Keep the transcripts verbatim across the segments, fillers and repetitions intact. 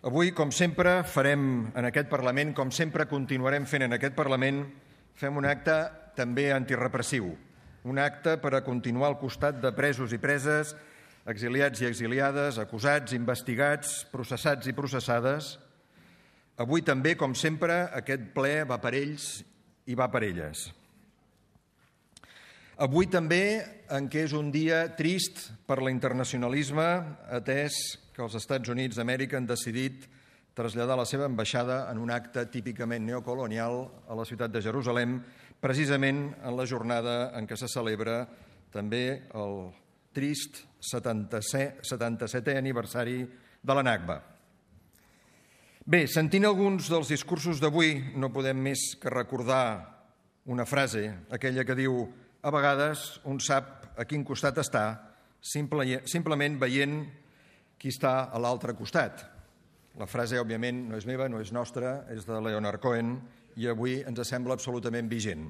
Avui, com sempre, farem en aquest Parlament, com sempre continuarem fent en aquest Parlament, fem un acte també antirepressiu, un acte per a continuar al costat de presos i preses, exiliats i exiliades, acusats, investigats, processats i processades. Avui també, com sempre, aquest ple va per ells i va per elles. Avui també, en què és un dia trist per l'internacionalisme, atès que els Estats Units d'Amèrica han decidit traslladar la seva ambaixada en un acte típicament neocolonial a la ciutat de Jerusalem, precisament en la jornada en què se celebra també el trist setanta-setè aniversari de la Nakba. Bé, sentint alguns dels discursos d'avui, no podem més que recordar una frase, aquella que diu: a vegades un sap a quin costat està, simple, simplement veient qui està a l'altre costat. La frase, òbviament, no és meva, no és nostra, és de Leonard Cohen i avui ens sembla absolutament vigent.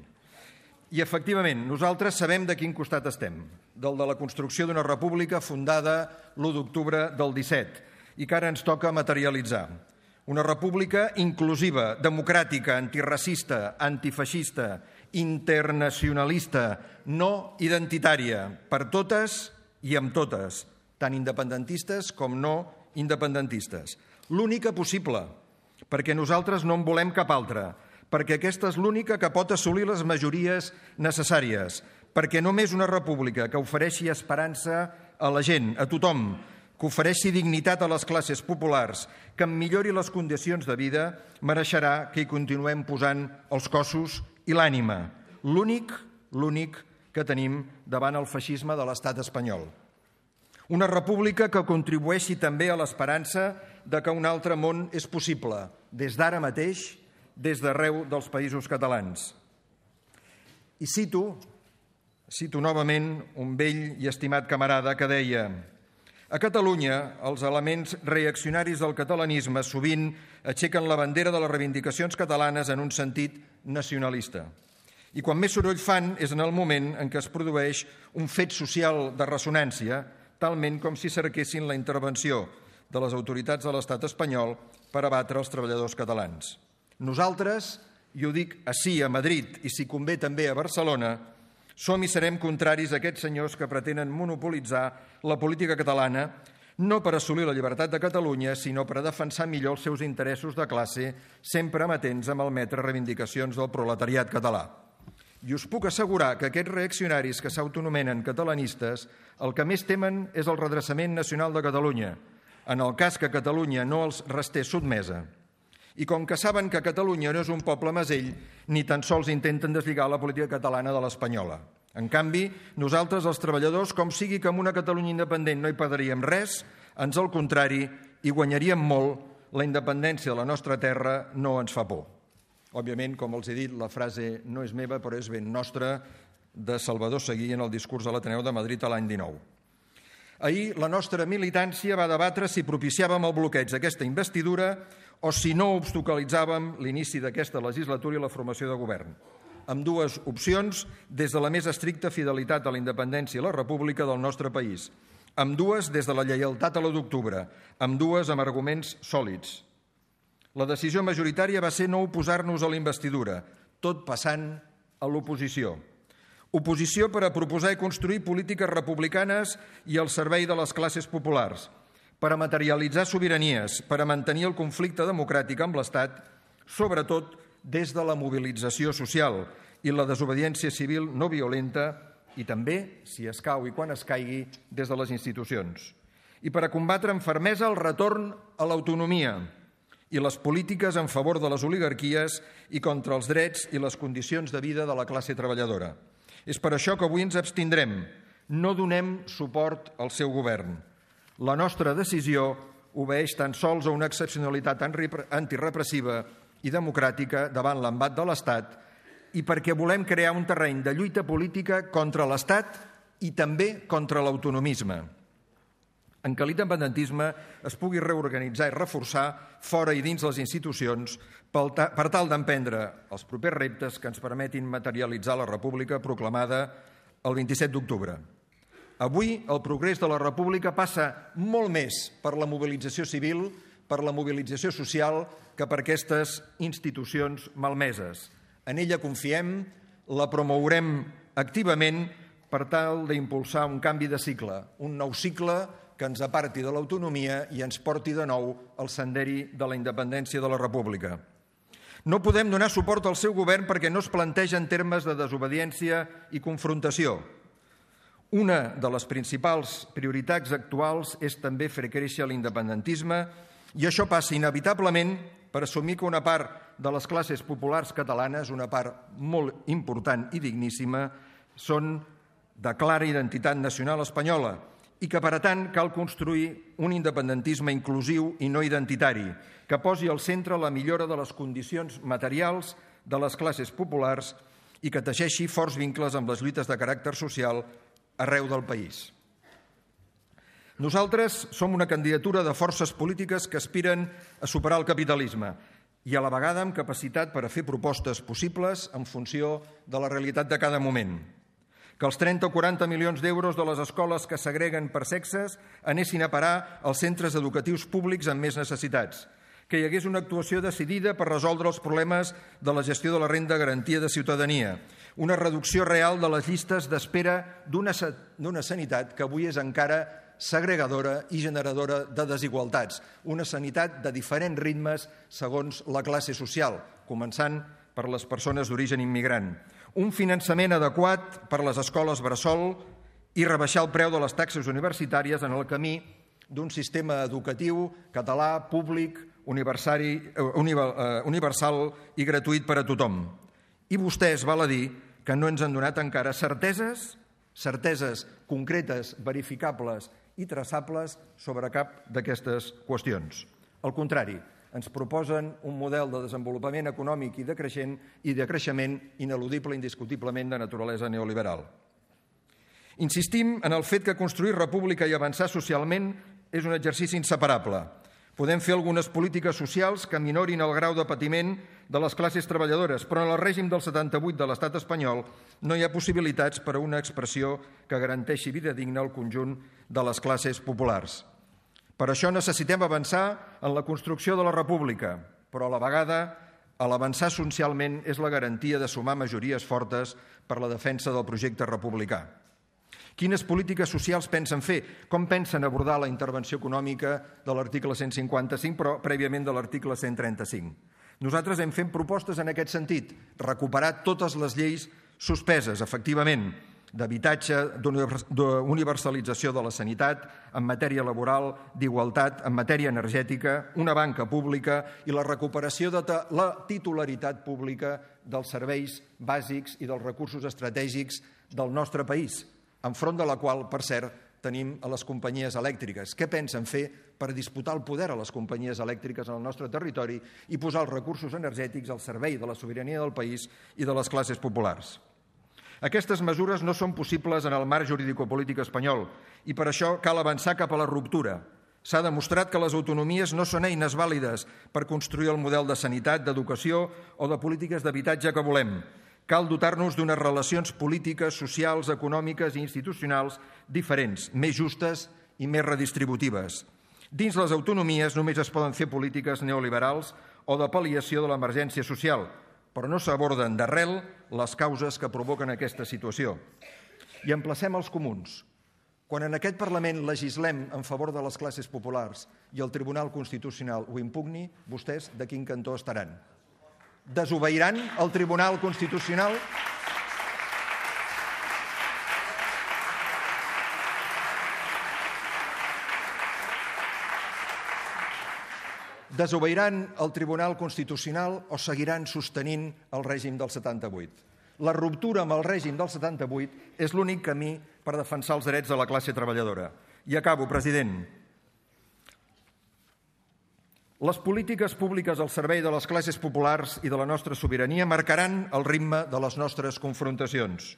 I, efectivament, nosaltres sabem de quin costat estem, del de la construcció d'una república fundada l'u d'octubre del disset i que ara ens toca materialitzar. Una república inclusiva, democràtica, antiracista, antifeixista, internacionalista, no identitària, per totes i amb totes, tant independentistes com no independentistes. L'única possible, perquè nosaltres no en volem cap altra, perquè aquesta és l'única que pot assolir les majories necessàries, perquè només una república que ofereixi esperança a la gent, a tothom, que ofereixi dignitat a les classes populars, que en millori les condicions de vida, mereixerà que hi continuem posant els cossos i l'ànima. L'únic, l'únic que tenim davant el feixisme de l'estat espanyol. Una república que contribueixi també a l'esperança de que un altre món és possible, des d'ara mateix, des d'arreu dels països catalans. I cito, cito novament un vell i estimat camarada que deia: a Catalunya, els elements reaccionaris del catalanisme sovint aixequen la bandera de les reivindicacions catalanes en un sentit nacionalista. I quan més soroll fan és en el moment en què es produeix un fet social de ressonància, talment com si cerquessin la intervenció de les autoritats de l'estat espanyol per abatre els treballadors catalans. Nosaltres, i ho dic ací a Madrid i si convé també a Barcelona, som i serem contraris a aquests senyors que pretenen monopolitzar la política catalana no per assolir la llibertat de Catalunya, sinó per a defensar millor els seus interessos de classe, sempre amatents a malmetre reivindicacions del proletariat català. I us puc assegurar que aquests reaccionaris que s'autonomenen catalanistes el que més temen és el redreçament nacional de Catalunya, en el cas que Catalunya no els restés sotmesa. I com que saben que Catalunya no és un poble mesell, ni tan sols intenten deslligar la política catalana de l'espanyola. En canvi, nosaltres, els treballadors, com sigui que amb una Catalunya independent no hi perdríem res, ans al contrari, hi guanyaríem molt, la independència de la nostra terra no ens fa por. Òbviament, com els he dit, la frase no és meva, però és ben nostra, de Salvador Seguí en el discurs de l'Ateneu de Madrid a l'any dinou. Ahir la nostra militància va debatre si propiciàvem el bloqueig d'aquesta investidura o si no obstaculitzàvem l'inici d'aquesta legislatura i la formació de govern. Amb dues opcions des de la més estricta fidelitat a la independència i la república del nostre país. Amb dues des de la lleialtat a l'u d'octubre. Amb dues amb arguments sòlids. La decisió majoritària va ser no oposar-nos a la investidura, tot passant a l'oposició. Oposició per a proposar i construir polítiques republicanes i al servei de les classes populars, per a materialitzar sobiranies, per a mantenir el conflicte democràtic amb l'Estat, sobretot des de la mobilització social i la desobediència civil no violenta i també, si escau i quan es caigui, des de les institucions. I per a combatre amb fermesa el retorn a l'autonomia i les polítiques en favor de les oligarquies i contra els drets i les condicions de vida de la classe treballadora. És per això que avui ens abstindrem. No donem suport al seu govern. La nostra decisió obeeix tan sols a una excepcionalitat antirepressiva i democràtica davant l'embat de l'Estat i perquè volem crear un terreny de lluita política contra l'Estat i també contra l'autonomisme, en què l'independentisme es pugui reorganitzar i reforçar fora i dins les institucions per tal d'emprendre els propers reptes que ens permetin materialitzar la república proclamada el vint-i-set d'octubre. Avui el progrés de la república passa molt més per la mobilització civil, per la mobilització social cap a aquestes institucions malmeses. En ella confiem, la promourem activament per tal d'impulsar un canvi de cicle, un nou cicle que ens aparti de l'autonomia i ens porti de nou al senderi de la independència de la República. No podem donar suport al seu govern perquè no es planteja en termes de desobediència i confrontació. Una de les principals prioritats actuals és també fer créixer l'independentisme i això passa inevitablement per assumir que una part de les classes populars catalanes, una part molt important i digníssima, són de clara identitat nacional espanyola i que, per tant, cal construir un independentisme inclusiu i no identitari, que posi al centre la millora de les condicions materials de les classes populars i que teixeixi forts vincles amb les lluites de caràcter social arreu del país. Nosaltres som una candidatura de forces polítiques que aspiren a superar el capitalisme i a la vegada amb capacitat per a fer propostes possibles en funció de la realitat de cada moment. Que els trenta o quaranta milions d'euros de les escoles que segreguen per sexes anessin a parar als centres educatius públics amb més necessitats. Que hi hagués una actuació decidida per resoldre els problemes de la gestió de la renda garantia de ciutadania. Una reducció real de les llistes d'espera d'una sanitat que avui és encara segregadora i generadora de desigualtats. Una sanitat de diferents ritmes segons la classe social, començant per les persones d'origen immigrant. Un finançament adequat per a les escoles bressol i rebaixar el preu de les taxes universitàries en el camí d'un sistema educatiu català, públic, universal i gratuït per a tothom. I vostès, val a dir, que no ens han donat encara certeses, certeses concretes, verificables i traçables sobre cap d'aquestes qüestions. Al contrari, ens proposen un model de desenvolupament econòmic i de creixement i de creixement ineludible, indiscutiblement de naturalesa neoliberal. Insistim en el fet que construir república i avançar socialment és un exercici inseparable. Podem fer algunes polítiques socials que minorin el grau de patiment de les classes treballadores, però en el règim del setanta-vuit de l'estat espanyol no hi ha possibilitats per a una expressió que garanteixi vida digna al conjunt de les classes populars. Per això necessitem avançar en la construcció de la república, però a la vegada, a l'avançar socialment és la garantia de sumar majories fortes per la defensa del projecte republicà. Quines polítiques socials pensen fer? Com pensen abordar la intervenció econòmica de l'article cent cinquanta-cinc, però prèviament de l'article cent trenta-cinc? Nosaltres hem fet propostes en aquest sentit, recuperar totes les lleis suspeses, efectivament, d'habitatge, d'universalització de la sanitat, en matèria laboral, d'igualtat, en matèria energètica, una banca pública i la recuperació de la titularitat pública dels serveis bàsics i dels recursos estratègics del nostre país, enfront de la qual, per cert, tenim a les companyies elèctriques. Què pensen fer per disputar el poder a les companyies elèctriques en el nostre territori i posar els recursos energètics al servei de la sobirania del país i de les classes populars? Aquestes mesures no són possibles en el marc jurídico-polític espanyol i per això cal avançar cap a la ruptura. S'ha demostrat que les autonomies no són eines vàlides per construir el model de sanitat, d'educació o de polítiques d'habitatge que volem. Cal dotar-nos d'unes relacions polítiques, socials, econòmiques i institucionals diferents, més justes i més redistributives. Dins les autonomies només es poden fer polítiques neoliberals o de pal·liació de l'emergència social, però no s'aborden d'arrel les causes que provoquen aquesta situació. I emplacem els comuns. Quan en aquest Parlament legislem en favor de les classes populars i el Tribunal Constitucional ho impugni, vostès de quin cantó estaran? Desobeiran el Tribunal Constitucional? Desobeiran el Tribunal Constitucional o seguiran sostenint el règim del setanta-vuit? La ruptura amb el règim del setanta-vuit és l'únic camí per defensar els drets de la classe treballadora. I acabo, president. Les polítiques públiques al servei de les classes populars i de la nostra sobirania marcaran el ritme de les nostres confrontacions.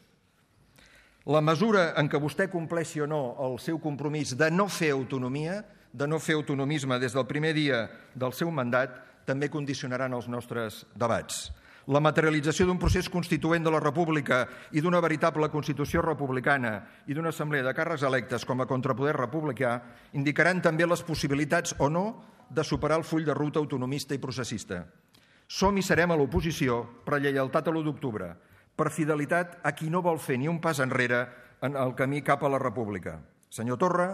La mesura en què vostè compleixi o no el seu compromís de no fer autonomia, de no fer autonomisme des del primer dia del seu mandat, també condicionaran els nostres debats. La materialització d'un procés constituent de la República i d'una veritable Constitució republicana i d'una assemblea de càrrecs electes com a contrapoder republicà indicaran també les possibilitats o no de superar el full de ruta autonomista i processista. Som i serem a l'oposició per lleialtat a l'u d'octubre, per fidelitat a qui no vol fer ni un pas enrere en el camí cap a la república. Senyor Torra,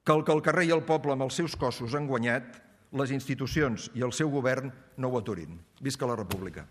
que el que el carrer i el poble amb els seus cossos han guanyat, les institucions i el seu govern no ho aturin. Visca la república.